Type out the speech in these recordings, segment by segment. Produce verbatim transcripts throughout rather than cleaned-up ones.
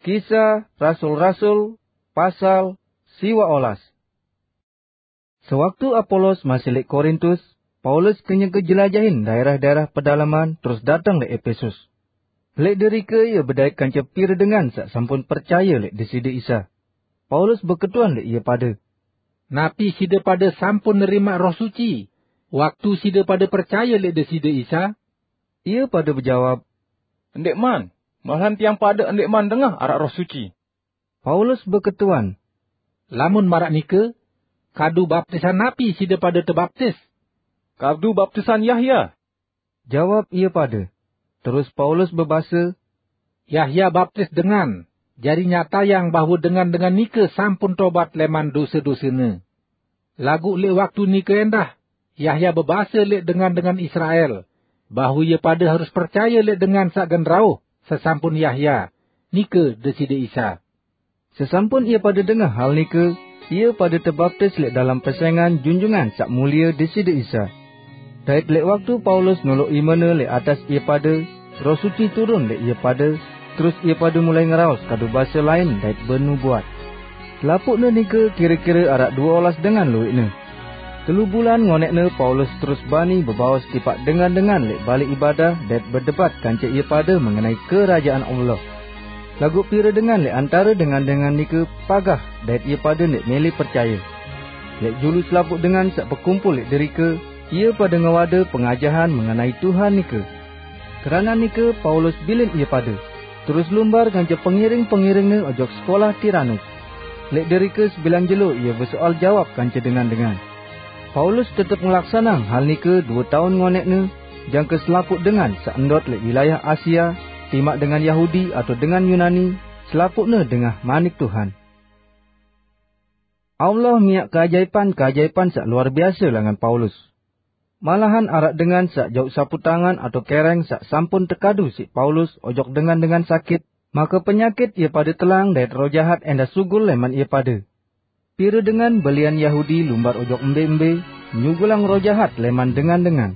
Kisah Rasul-Rasul, pasal siwa olas. Sewaktu Apolos masih lek Korintus, Paulus kenyeke jelajahin daerah-daerah pedalaman terus dateng lek Epesus. Lek derike ia bedait kance pire dengan sak sampun percaya lek Deside Isa. Paulus beketuan lek ia pade. Napi side pade sampun nerima Roh Suci, waktu side pade percaya lek Deside Isa? Ia pade bejawab, Ndikman, malahan tiang pade ndikman dengah arak Roh Suci. Paulus beketuan, Lamun marak nike, kadu baptisan napi side pade tebaptis? Kadu baptisan Yahya, jawab ia pade. Terus Paulus bebase, Yahya baptis dengan, jari nyatayang bahwa dengan-dengan nike sampun tobat leman dose-dosene. Laguq leq waktu nike endah, Yahya bebase leq dengan-dengan Israel, bahwe ie pade harus percaye leq dengan saq gen rauh sesampun Yahya, nike Deside Isa. Sesampun ie pade dengah hal nike, ie pade tebaptis leq dalem pesengan Junjungan Saq Mulie Deside Isa. Dait leq waktu Paulus noloq imene leq atas ie pade, Roh Suci turun leq ie pade, terus ie pade mulai ngeraos kadu base lain dait benubuat. Selapuqne nike kire-kire araq due olas dengan lueqne. Telu bulan ngoneqne Paulus terus bani bebaos tipaq dengan-dengan leq balai ibadah dait bedebat kance ie pade mengenai Kerajaan Allah. Laguq pire dengan leq antare dengan-dengan nike pagah dait ie pade ndeq mele percaye. Leq julu selapuq dengan saq bekumpul leq derike, ie pade ngewade pengajahan mengenai Tuhan nike. Keranaq nike Paulus bilin ie pade, terus lumbar kance pengiring-pengiringne ojok sekolah Tiranus. Leq derike sebilang jelo ie besoal jawab kance dengan-dengan. Paulus tetep ngelaksanang hal nike due taun ngoneqne, jangke selapuq dengan saq ndot leq wilayah Asia, timaq dengan Yahudi atau dengan Yunani, selapuqne dengah manik Tuhan. Allah miaq keajaipan-keajaipan saq luar biase langan Paulus. Malahan araq dengan saq jauq saputangan atau kereng saq sampun tekadu siq Paulus ojok dengan-dengan sakit, make penyakit ie pade telang dait roh jahat endah sugul leman ie pade. Pire dengan belian Yahudi lumbar ojok embe-embe, nyugulang roh jahat leman dengan-dengan.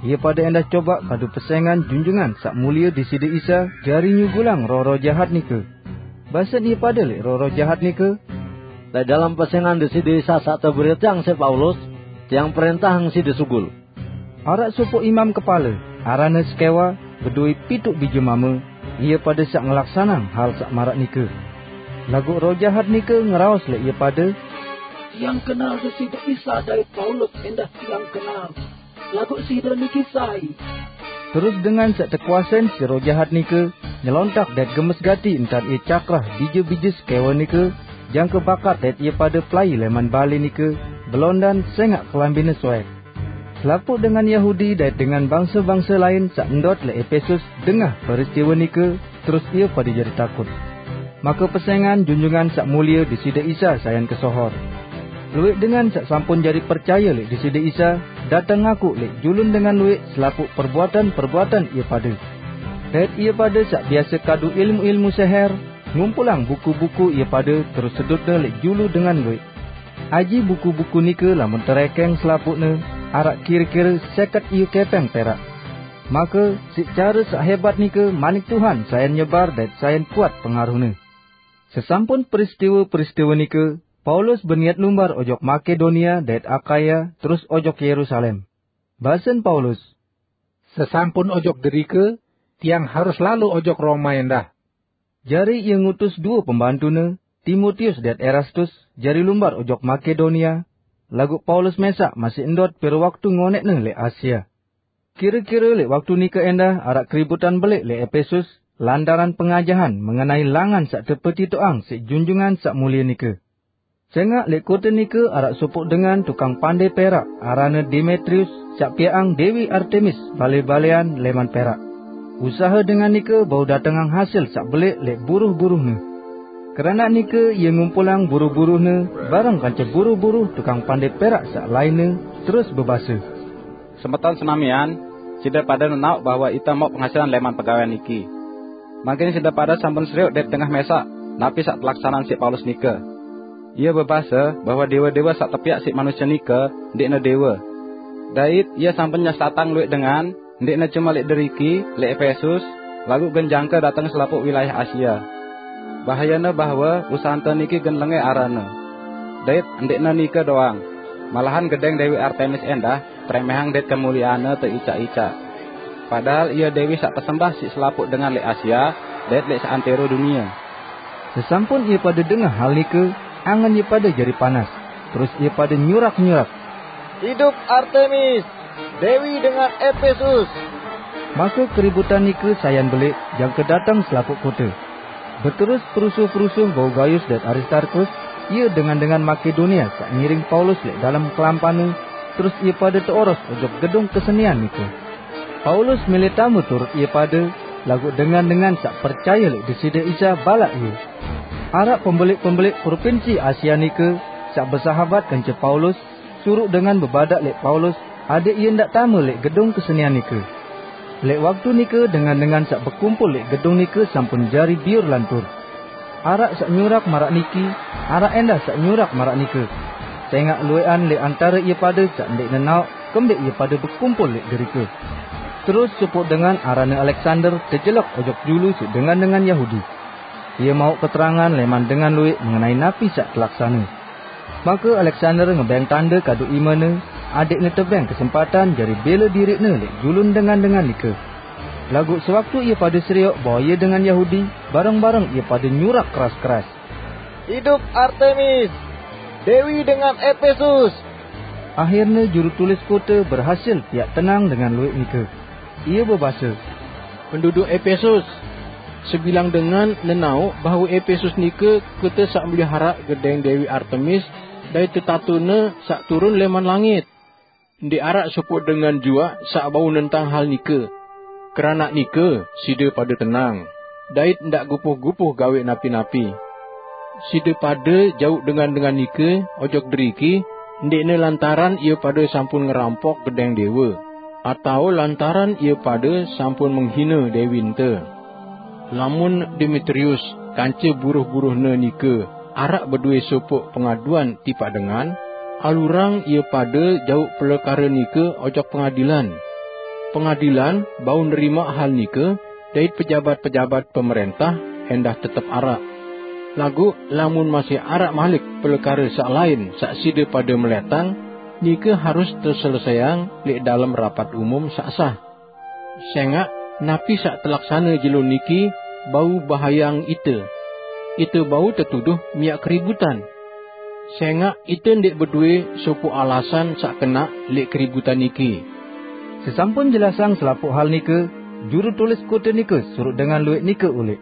Ie pade endah cobaq kadu pesengan Junjungan Saq Mulie Deside Isa jari nyugulang roh-roh jahat nike. Basen ie pade leq roh-roh jahat nike, "Leq dalem pesengan Deside Isa saq teberiteang siq Paulus, tiang prentahang side sugul." Araq sopoq imam kepale, aranne Skewa, bedoe pituq bije mame, ie pade saq ngelaksanang hal saq maraq nike. Laguq roh jahat nike ngeraos leq ie pade, "Tiang kenal Deside Isa dait Paulus endah tiang kenal. Laguq side niki sai?" Terus dengan saq tekuasein siq roh jahat nike nyelontak dait gemes gati entan ie cakrah bije-bije Skewa nike, jangke bakat dait ie pade pelai leman bale nike, belondan sengaq kelambine soek. Selapuq dengan Yahudi dait dengan bangse-bangse lain saq ndot leq Epesus dengah peristiwe nike, terus ie pade jari takut. Make pesengan Junjungan Saq Mulie Deside Isa sayan kesohor. Lueq dengan saq sampun jari percaye leq Deside Isa dateng ngaku leq julun dengan lueq selapuq perbuatan-perbuatan ie pade. Dait ie pade saq biase kadu ilmu-ilmu seher, ngumpulang buku-buku ie pade terus sedutne leq julu dengan lueq. Aji buku-buku nike lamun terekeng selapuqne, araq kire-kire seket iyu kepeng perak. Make, siq care saq hebat nike manik Tuhan sayan nyebar dait sayan kuat pengaruhne. Sesampun peristiwe-peristiwe nike, Paulus beniat lumbar ojok Makedonia dait Akaya, terus ojok Yerusalem. Basen Paulus, "Sesampun ojok derike, tiang harus lalo ojok Roma endah." Jari ie ngutus due pembantune, Timotius dait Erastus, jari lumbar ojok Makedonia, laguq Paulus mesaq masih ndot pire waktu ngoneqne leq Asia. Kire-kire leq waktu nike endah araq keributan beleq leq Epesus lantaran pengajahan mengenai langan saq tepetitoqang siq Junjungan Saq Mulie nike. Sengaq leq kote nike araq sopoq dengan tukang pande perak, aranne Demetrius, saq piaqang Dewi Artemis bale-balean leman perak. Usahe dengan nike bau datengang hasil saq beleq leq buruh-buruhne. Keranaq nike ie ngumpulang buruh-buruhne bareng kance buruh-buruh tukang pande perak saq lainne, terus bebase, "Semeton senamian, side pade nenaoq bahwe ite mauq penghasilan leman pegawean niki. Mangkin side pade sampun serioq dait dengah mesaq napi saq telaksaneang siq Paulus nike. Ie bebase bahwe dewe-dewe saq tepiaq siq manusie nike ndeqne dewe. Dait ie sampun nyesatang lueq dengan, ndeqne cume leq deriki, leq Epesus, laguq gen jangke dateng selapuq wilayah Asia." Bahayana bahwa usanta niki gen lengeh arana. Dait ndikna nika doang, malahan gedeng Dewi Artemis endah tremehang dait kemuliaanna teica-ica. Padahal ia dewi saq pesembah siq selapuq dengan leq Asia dait leq seantero dunie. Sesampun ie pade dengah hal nike, angen ie pade jari panas, terus ie pade nyurak-nyurak, "Idup Artemis, dewi dengan Epesus!" Make keributan nike sayan beleq jangke dateng selapuq kote. Beterus perusuh-perusuh bau Gaius dait Aristarkus, ie dengan-dengan Makedonia saq ngiring Paulus leq dalem kelampanne, terus ie pade teoros ojok gedung kesenian nike. Paulus mele tame turut ie pade, laguq dengan-dengan saq percaye leq Deside Isa balaq ie. Araq pembeleq-pembeleq propinsi Asia nike saq besahabat kance Paulus, suruq dengan bebadaq leq Paulus adeq ie ndaq tame leq gedung kesenian nike. Leq waktu nike dengan-dengan saq bekumpul leq gedung nike sampun jari biur lantur. Araq saq nyurak maraq niki, araq endah saq nyurak maraq nike. Sengaq lueqan leq antare ie pade saq ndeq nenaoq kembeq ie pade bekumpul leq derike. Terus sopoq dengan aranne Aleksander tejelek ojok julu siq dengan-dengan Yahudi. Ie mauq keterangan leman dengan lueq mengenai napi saq telaksane. Make Aleksander ngebeng tande kadu imene, adeqne tebeng kesempatan jari bele diriqne leq julun dengan-dengan nike. Laguq sewaktu ie pade serioq bahwe ie dengan Yahudi, bareng-bareng ie pade nyurak keras-keras, "Idup Artemis, dewi dengan Epesus!" Ahirne juru tulis kote berhasil piaq tenang dengan lueq nike. Ie bebase, "Penduduk Epesus! Sebilang dengan nenaoq bahwe Epesus nike kote saq meliharaq gedeng Dewi Artemis dait tetatune saq turun leman langit. Ndeq araq sopoq dengan juaq saq bau nentang hal nike. Keranaq nike, side pade tenang, dait ndaq gupuh-gupuh gaweq napi-napi. Side pade jauq dengan-dengan nike ojok deriki, ndeqne lantaran ie pade sampun ngerampok gedeng dewa, atao lantaran ie pade sampun menghine dewinte. Lamun Demetrius kance buruh-buruhne nike araq bedowe sopoq pengaduan tipaq dengan, alurang ie pade jauq pelekare nike ojok pengadilan. Pengadilan bau nerimaq hal nike, dait pejabat-pejabat pemerentah endah tetep araq. Laguq lamun masih araq malik pelekare saq lain saq side pade meletang, nike harus teselesaiang leq dalem rapat umum saq sah. Sengaq napi saq telaksane jelo niki bau bahayang ite. Ite bau tetuduh miaq keributan. Sengaq ite ndeq bedowe sopoq alasan saq kenaq leq keributan niki." Sesampun jelasang selapuq hal nike, juru tulis kote nike suruq dengan lueq nike uleq.